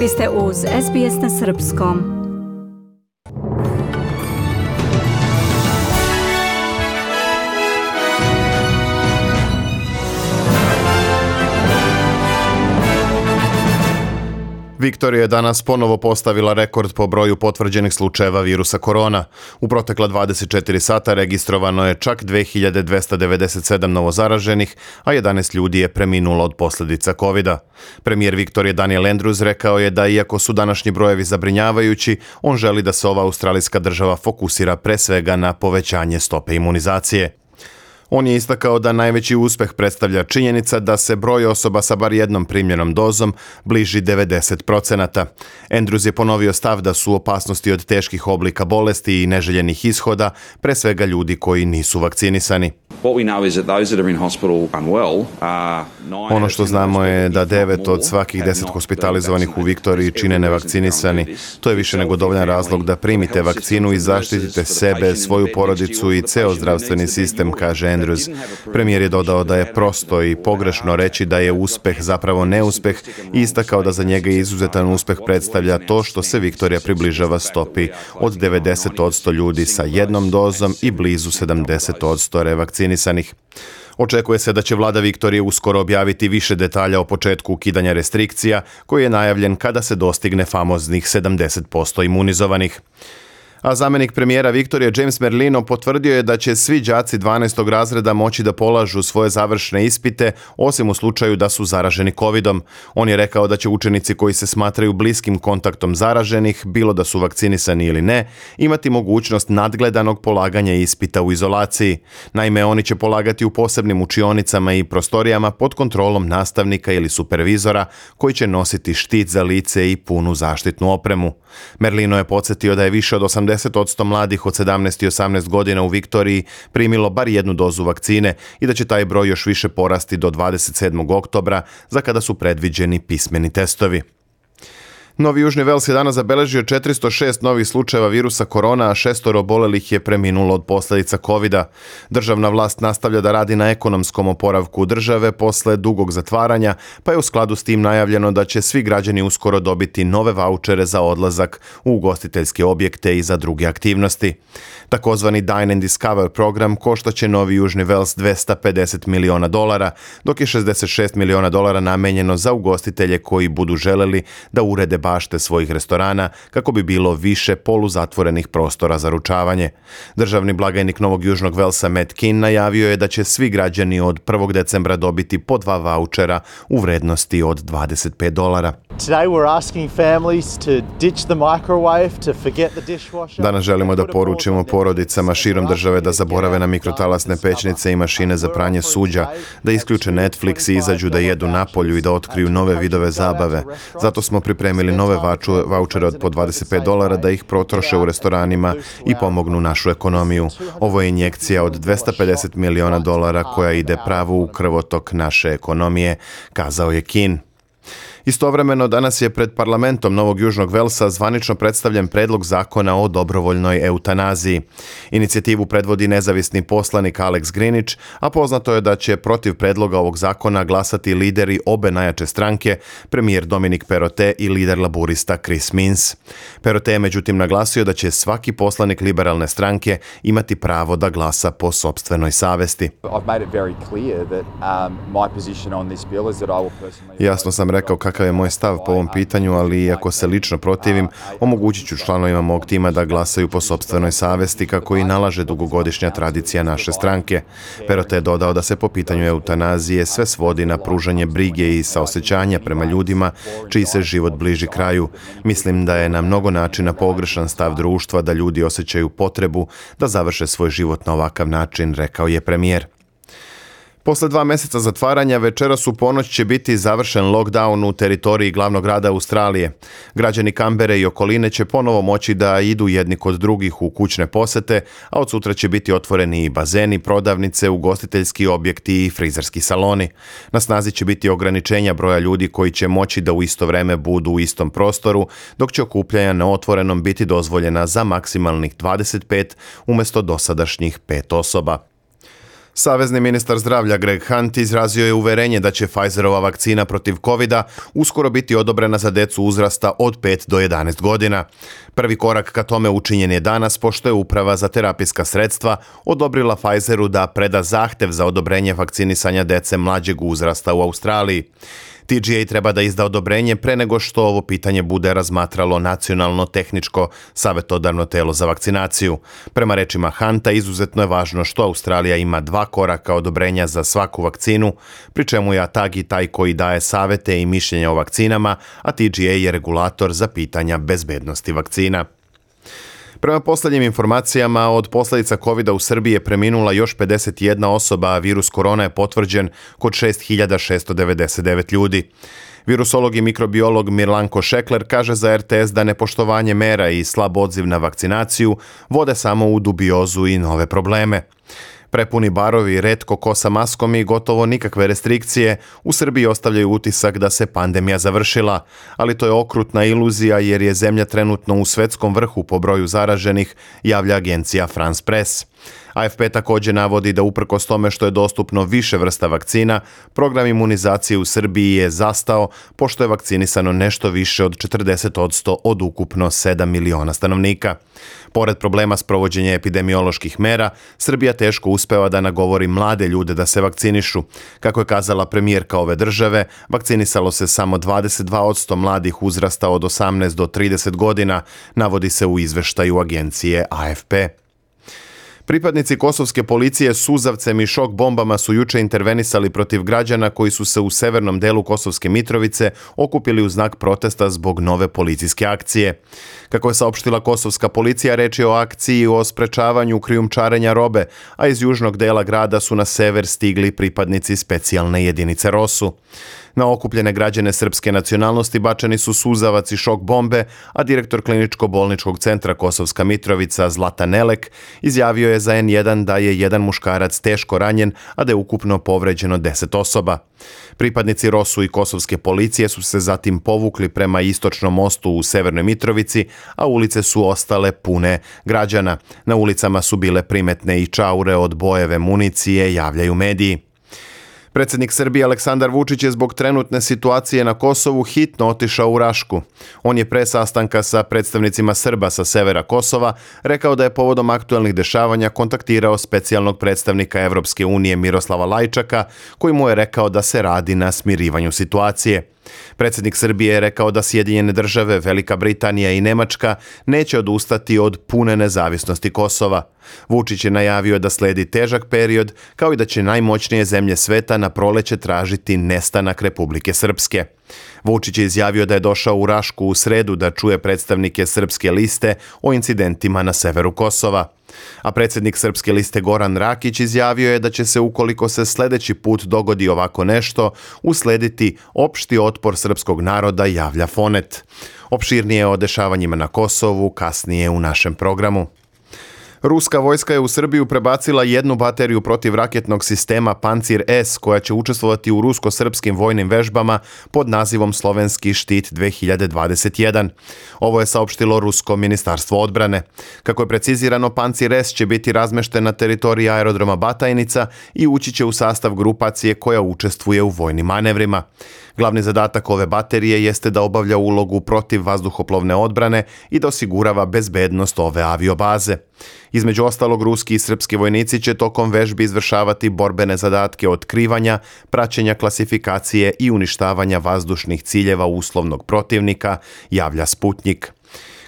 Vi ste uz SBS na Srpskom. Viktorija je danas ponovo postavila rekord po broju potvrđenih slučajeva virusa korona. U protekla 24 sata registrovano je čak 2297 novozaraženih, a 11 ljudi je preminulo od posljedica covida. Premijer Viktorije Daniel Andrews rekao je da iako su današnji brojevi zabrinjavajući, on želi da se ova australijska država fokusira pre svega na povećanje stope imunizacije. On je istakao da najveći uspeh predstavlja činjenica da se broj osoba sa bar jednom primljenom dozom bliži 90%. Andrews je ponovio stav da su opasnosti od teških oblika bolesti i neželjenih ishoda pre svega ljudi koji nisu vakcinisani. Ono što znamo je da 9 od svakih 10 hospitalizovanih u Viktoriji čine nevakcinisani. To je više nego dovoljan razlog da primite vakcinu i zaštitite sebe, svoju porodicu i ceo zdravstveni sistem, kaže Andrews. Premijer je dodao da je prosto i pogrešno reći da je uspeh zapravo neuspeh i istakao da za njega izuzetan uspeh predstavlja to što se Viktorija približava stopi od 90% ljudi sa jednom dozom i blizu 70% revakcinisanih. Očekuje se da će vlada Viktorije uskoro objaviti više detalja o početku ukidanja restrikcija, koji je najavljen kada se dostigne famoznih 70% imunizovanih. A zamjenik premijera Viktorije James Merlino potvrdio je da će svi đaci 12. razreda moći da polažu svoje završne ispite, osim u slučaju da su zaraženi covidom. On je rekao da će učenici koji se smatraju bliskim kontaktom zaraženih, bilo da su vakcinisani ili ne, imati mogućnost nadgledanog polaganja ispita u izolaciji. Naime, oni će polagati u posebnim učionicama i prostorijama pod kontrolom nastavnika ili supervizora koji će nositi štit za lice i punu zaštitnu opremu. Merlino je podsjetio da je više od 80% mladih od 17 i 18 godina u Viktoriji primilo bar jednu dozu vakcine i da će taj broj još više porasti do 27. oktobra, za kada su predviđeni pismeni testovi. Novi Južni Vels je danas zabeležio 406 novih slučajeva virusa korona, a 6 obolelih je preminulo od posljedica covida. Državna vlast nastavlja da radi na ekonomskom oporavku države posle dugog zatvaranja, pa je u skladu s tim najavljeno da će svi građani uskoro dobiti nove vaučere za odlazak u ugostiteljske objekte i za druge aktivnosti. Takozvani Dine and Discover program koštaće Novi Južni Vels $250 miliona, dok je $66 miliona namenjeno za ugostitelje koji budu želeli da urede bašte svojih restorana kako bi bilo više poluzatvorenih prostora za ručavanje. Državni blagajnik Novog Južnog Velsa Matt Kean najavio je da će svi građani od 1. decembra dobiti po 2 vaučera u vrednosti od $25. Danas želimo da poručimo porodicama širom države da zaborave na mikrotalasne pećnice i mašine za pranje suđa, da isključe Netflix i izađu da jedu napolju i da otkriju nove vidove zabave. Zato smo pripremili nove vaučere od po $25 da ih potroše u restoranima i pomognu našu ekonomiju. Ovo je injekcija od $250 miliona koja ide pravo u krvotok naše ekonomije, kazao je Kean. Istovremeno, danas je pred parlamentom Novog Južnog Velsa zvanično predstavljen predlog zakona o dobrovoljnoj eutanaziji. Inicijativu predvodi nezavisni poslanik Alex Greenwich, a poznato je da će protiv predloga ovog zakona glasati lideri obe najjače stranke, premijer Dominic Perrottet i lider laburista Chris Minns. Perrottet je međutim naglasio da će svaki poslanik liberalne stranke imati pravo da glasa po sopstvenoj savesti. Jasno sam rekao kakav je moj stav po ovom pitanju, ali iako se lično protivim, omogućit ću članovima mog tima da glasaju po sopstvenoj savesti kako i nalaže dugogodišnja tradicija naše stranke. Perrottet je dodao da se po pitanju eutanazije sve svodi na pružanje brige i saosećanja prema ljudima čiji se život bliži kraju. Mislim da je na mnogo načina pogrešan stav društva da ljudi osjećaju potrebu da završe svoj život na ovakav način, rekao je premijer. Posle 2 meseca zatvaranja, večeras u ponoć će biti završen lockdown u teritoriji glavnog grada Australije. Građani Kambere i okoline će ponovo moći da idu jedni kod drugih u kućne posete, a od sutra će biti otvoreni i bazeni, prodavnice, ugostiteljski objekti i frizerski saloni. Na snazi će biti ograničenja broja ljudi koji će moći da u isto vreme budu u istom prostoru, dok će okupljanja na otvorenom biti dozvoljena za maksimalnih 25 umjesto dosadašnjih 5 osoba. Savezni ministar zdravlja Greg Hunt izrazio je uverenje da će Pfizerova vakcina protiv covida uskoro biti odobrena za decu uzrasta od 5 do 11 godina. Prvi korak ka tome učinjen je danas pošto je Uprava za terapijska sredstva odobrila Pfizeru da preda zahtev za odobrenje vakcinisanja dece mlađeg uzrasta u Australiji. TGA treba da izda odobrenje pre nego što ovo pitanje bude razmatralo Nacionalno tehničko savjetodavno telo za vakcinaciju. Prema rečima Hunta, izuzetno je važno što Australija ima 2 koraka odobrenja za svaku vakcinu, pri čemu je ATAGI taj koji daje savete i mišljenja o vakcinama, a TGA je regulator za pitanja bezbednosti vakcina. Prema posljednjim informacijama, od posljedica covida u Srbiji je preminula još 51 osoba, a virus korona je potvrđen kod 6699 ljudi. Virusolog i mikrobiolog Mirlanko Šekler kaže za RTS da nepoštovanje mera i slab odziv na vakcinaciju vode samo u dubiozu i nove probleme. Prepuni barovi, retko ko sa maskom i gotovo nikakve restrikcije u Srbiji ostavljaju utisak da se pandemija završila, ali to je okrutna iluzija jer je zemlja trenutno u svetskom vrhu po broju zaraženih, javlja agencija France Press. AFP također navodi da uprkos tome što je dostupno više vrsta vakcina, program imunizacije u Srbiji je zastao pošto je vakcinisano nešto više od 40% od ukupno 7 miliona stanovnika. Pored problema s provođenjem epidemioloških mera, Srbija teško uspeva da nagovori mlade ljude da se vakcinišu. Kako je kazala premijerka ove države, vakcinisalo se samo 22% mladih uzrasta od 18 do 30 godina, navodi se u izveštaju agencije AFP. Pripadnici kosovske policije suzavcem i šok bombama su juče intervenisali protiv građana koji su se u severnom delu Kosovske Mitrovice okupili u znak protesta zbog nove policijske akcije. Kako je saopštila kosovska policija, reč je o akciji o sprečavanju krijumčarenja robe, a iz južnog dela grada su na sever stigli pripadnici specijalne jedinice ROSU. Na okupljene građane srpske nacionalnosti bačeni su suzavac i šok bombe, a direktor kliničko-bolničkog centra Kosovska Mitrovica Zlatan Nelek izjavio je za N1 da je jedan muškarac teško ranjen, a da je ukupno povređeno 10 osoba. Pripadnici ROSU i kosovske policije su se zatim povukli prema istočnom mostu u Severnoj Mitrovici, a ulice su ostale pune građana. Na ulicama su bile primetne i čaure od bojeve municije, javljaju mediji. Predsjednik Srbije Aleksandar Vučić je zbog trenutne situacije na Kosovu hitno otišao u Rašku. On je pre sastanka sa predstavnicima Srba sa severa Kosova rekao da je povodom aktuelnih dešavanja kontaktirao specijalnog predstavnika Evropske unije Miroslava Lajčaka, koji mu je rekao da se radi na smirivanju situacije. Predsjednik Srbije je rekao da Sjedinjene države, Velika Britanija i Nemačka neće odustati od pune nezavisnosti Kosova. Vučić je najavio da sledi težak period, kao i da će najmoćnije zemlje sveta na proleće tražiti nestanak Republike Srpske. Vučić je izjavio da je došao u Rašku u sredu da čuje predstavnike Srpske liste o incidentima na severu Kosova. A predsjednik Srpske liste Goran Rakić izjavio je da će se, ukoliko se sljedeći put dogodi ovako nešto, uslediti opšti otpor srpskog naroda, javlja Fonet. Opširnije o dešavanjima na Kosovu kasnije u našem programu. Ruska vojska je u Srbiju prebacila jednu bateriju protivraketnog sistema Pancir S koja će učestvovati u rusko-srpskim vojnim vežbama pod nazivom Slovenski štit 2021. Ovo je saopštilo Rusko ministarstvo odbrane. Kako je precizirano, Pancir S će biti razmešten na teritoriji aerodroma Batajnica i ući će u sastav grupacije koja učestvuje u vojnim manevrima. Glavni zadatak ove baterije jeste da obavlja ulogu protiv vazduhoplovne odbrane i da osigurava bezbednost ove aviobaze. Između ostalog, ruski i srpski vojnici će tokom vežbi izvršavati borbene zadatke otkrivanja, praćenja klasifikacije i uništavanja vazdušnih ciljeva uslovnog protivnika, javlja Sputnjik.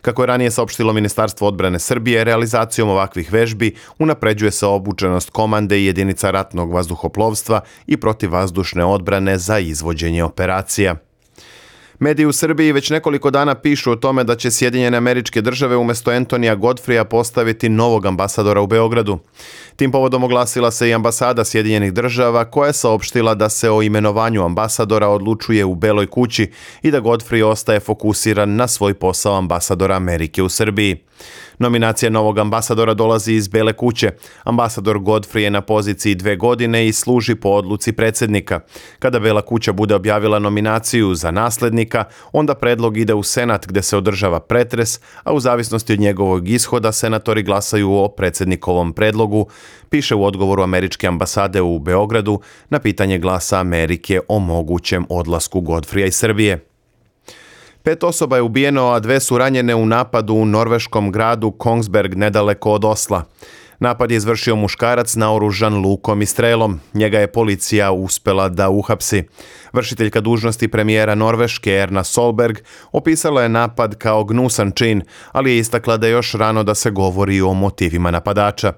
Kako je ranije saopštilo Ministarstvo odbrane Srbije, realizacijom ovakvih vežbi unapređuje se obučenost komande i jedinica ratnog vazduhoplovstva i protivvazdušne odbrane za izvođenje operacija. Mediji u Srbiji već nekoliko dana pišu o tome da će Sjedinjene Američke Države umjesto Antonija Godfreya postaviti novog ambasadora u Beogradu. Tim povodom oglasila se i ambasada Sjedinjenih Država koja je saopštila da se o imenovanju ambasadora odlučuje u Beloj kući i da Godfrey ostaje fokusiran na svoj posao ambasadora Amerike u Srbiji. Nominacija novog ambasadora dolazi iz Bele kuće. Ambasador Godfrey je na poziciji 2 godine i služi po odluci predsjednika. Kada Bela kuća bude objavila nominaciju za naslednika, onda predlog ide u Senat gdje se održava pretres, a u zavisnosti od njegovog ishoda senatori glasaju o predsjednikovom predlogu, piše u odgovoru američke ambasade u Beogradu na pitanje Glasa Amerike o mogućem odlasku Godfreya iz Srbije. 5 osoba je ubijeno, a 2 su ranjene u napadu u norveškom gradu Kongsberg nedaleko od Osla. Napad je izvršio muškarac naoružan lukom i strelom. Njega je policija uspjela da uhapsi. Vršiteljka dužnosti premijera Norveške Erna Solberg opisala je napad kao gnusan čin, ali je istakla da je još rano da se govori o motivima napadača.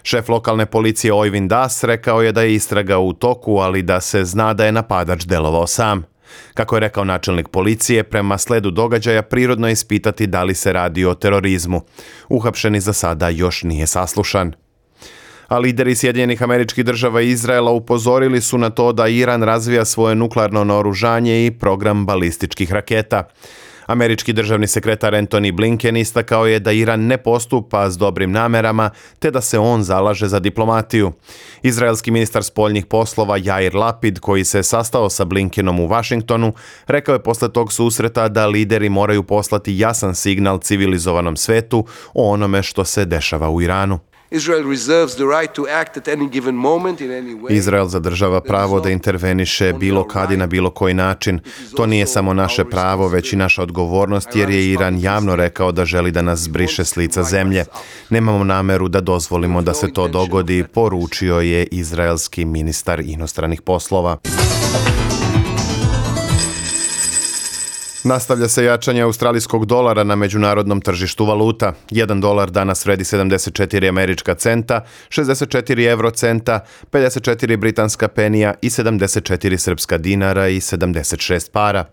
Šef lokalne policije Oyvind Das rekao je da je istraga u toku, ali da se zna da je napadač delovao sam. Kako je rekao načelnik policije, prema sledu događaja prirodno je ispitati da li se radi o terorizmu. Uhapšeni za sada još nije saslušan. A lideri Sjedinjenih Američkih Država i Izraela upozorili su na to da Iran razvija svoje nuklearno naoružanje i program balističkih raketa. Američki državni sekretar Antony Blinken istakao je da Iran ne postupa s dobrim namerama, te da se on zalaže za diplomatiju. Izraelski ministar spoljnih poslova Jair Lapid, koji se sastao sa Blinkenom u Washingtonu, rekao je posle tog susreta da lideri moraju poslati jasan signal civilizovanom svetu o onome što se dešava u Iranu. Izrael zadržava pravo da interveniše bilo kad i na bilo koji način. To nije samo naše pravo, već i naša odgovornost, jer je Iran javno rekao da želi da nas zbriše s lica zemlje. Nemamo nameru da dozvolimo da se to dogodi, poručio je izraelski ministar inostranih poslova. Nastavlja se jačanje australijskog dolara na međunarodnom tržištu valuta. 1 dolar danas vredi 74 američka centa, 64 eurocenta, 54 britanska penija i 74 srpska dinara i 76 para.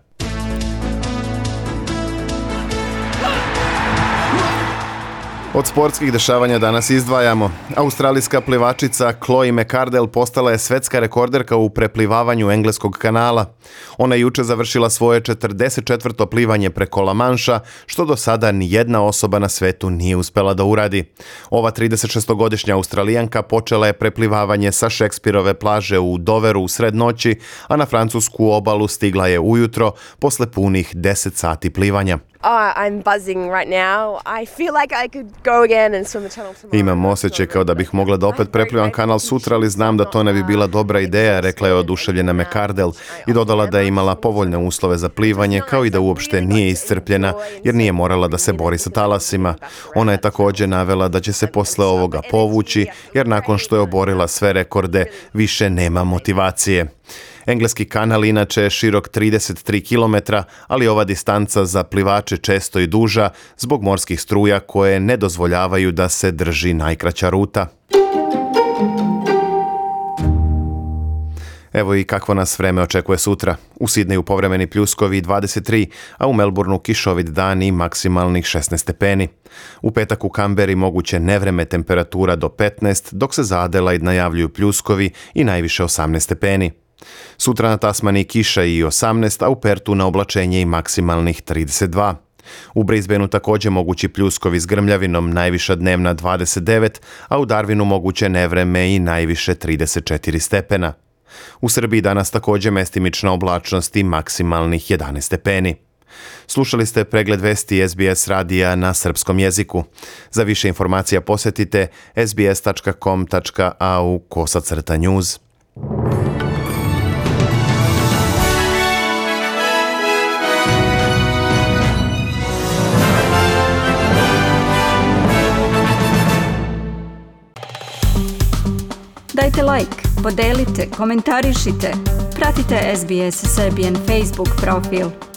Od sportskih dešavanja danas izdvajamo. Australijska plivačica Chloe McArdle postala je svetska rekorderka u preplivavanju engleskog kanala. Ona je juče završila svoje 44. plivanje preko La Manša, što do sada nijedna osoba na svetu nije uspela da uradi. Ova 36-godišnja Australijanka počela je preplivavanje sa Šekspirove plaže u Doveru u sred noći, a na francusku obalu stigla je ujutro posle punih 10 sati plivanja. I'm buzzing right now. I feel like I could go again and swim the channel tomorrow. Imam osjećaj kao da bih mogla da opet preplivam kanal sutra, ali znam da to ne bi bila dobra ideja, rekla je oduševljena McArdle i dodala da je imala povoljne uslove za plivanje, kao i da uopšte nije iscrpljena, jer nije morala da se bori sa talasima. Ona je također navela da će se posle ovoga povući, jer nakon što je oborila sve rekorde, više nema motivacije. Engleski kanal inače je širok 33 km, ali ova distanca za plivače često i duža zbog morskih struja koje ne dozvoljavaju da se drži najkraća ruta. Evo i kakvo nas vreme očekuje sutra. U Sidneju povremeni pljuskovi 23, a u Melbourneu kišovit dan i maksimalnih 16 stepeni. U petak u Kamberi moguće nevreme, temperatura do 15, dok se za Adelaide najavljuju pljuskovi i najviše 18 stepeni. Sutra na Tasmaniji kiša i 18, a u Pertu na oblačenje i maksimalnih 32. U Brisbaneu također mogući pljuskovi s grmljavinom, najviša dnevna 29, a u Darwinu moguće nevreme i najviše 34 stepena. U Srbiji danas također mestimična oblačnost i maksimalnih 11 stepeni. Slušali ste pregled vesti SBS radija na srpskom jeziku. Za više informacija posjetite sbs.com.au/news. Dajte like, podelite, komentarišite. Pratite SBS Serbian Facebook profil.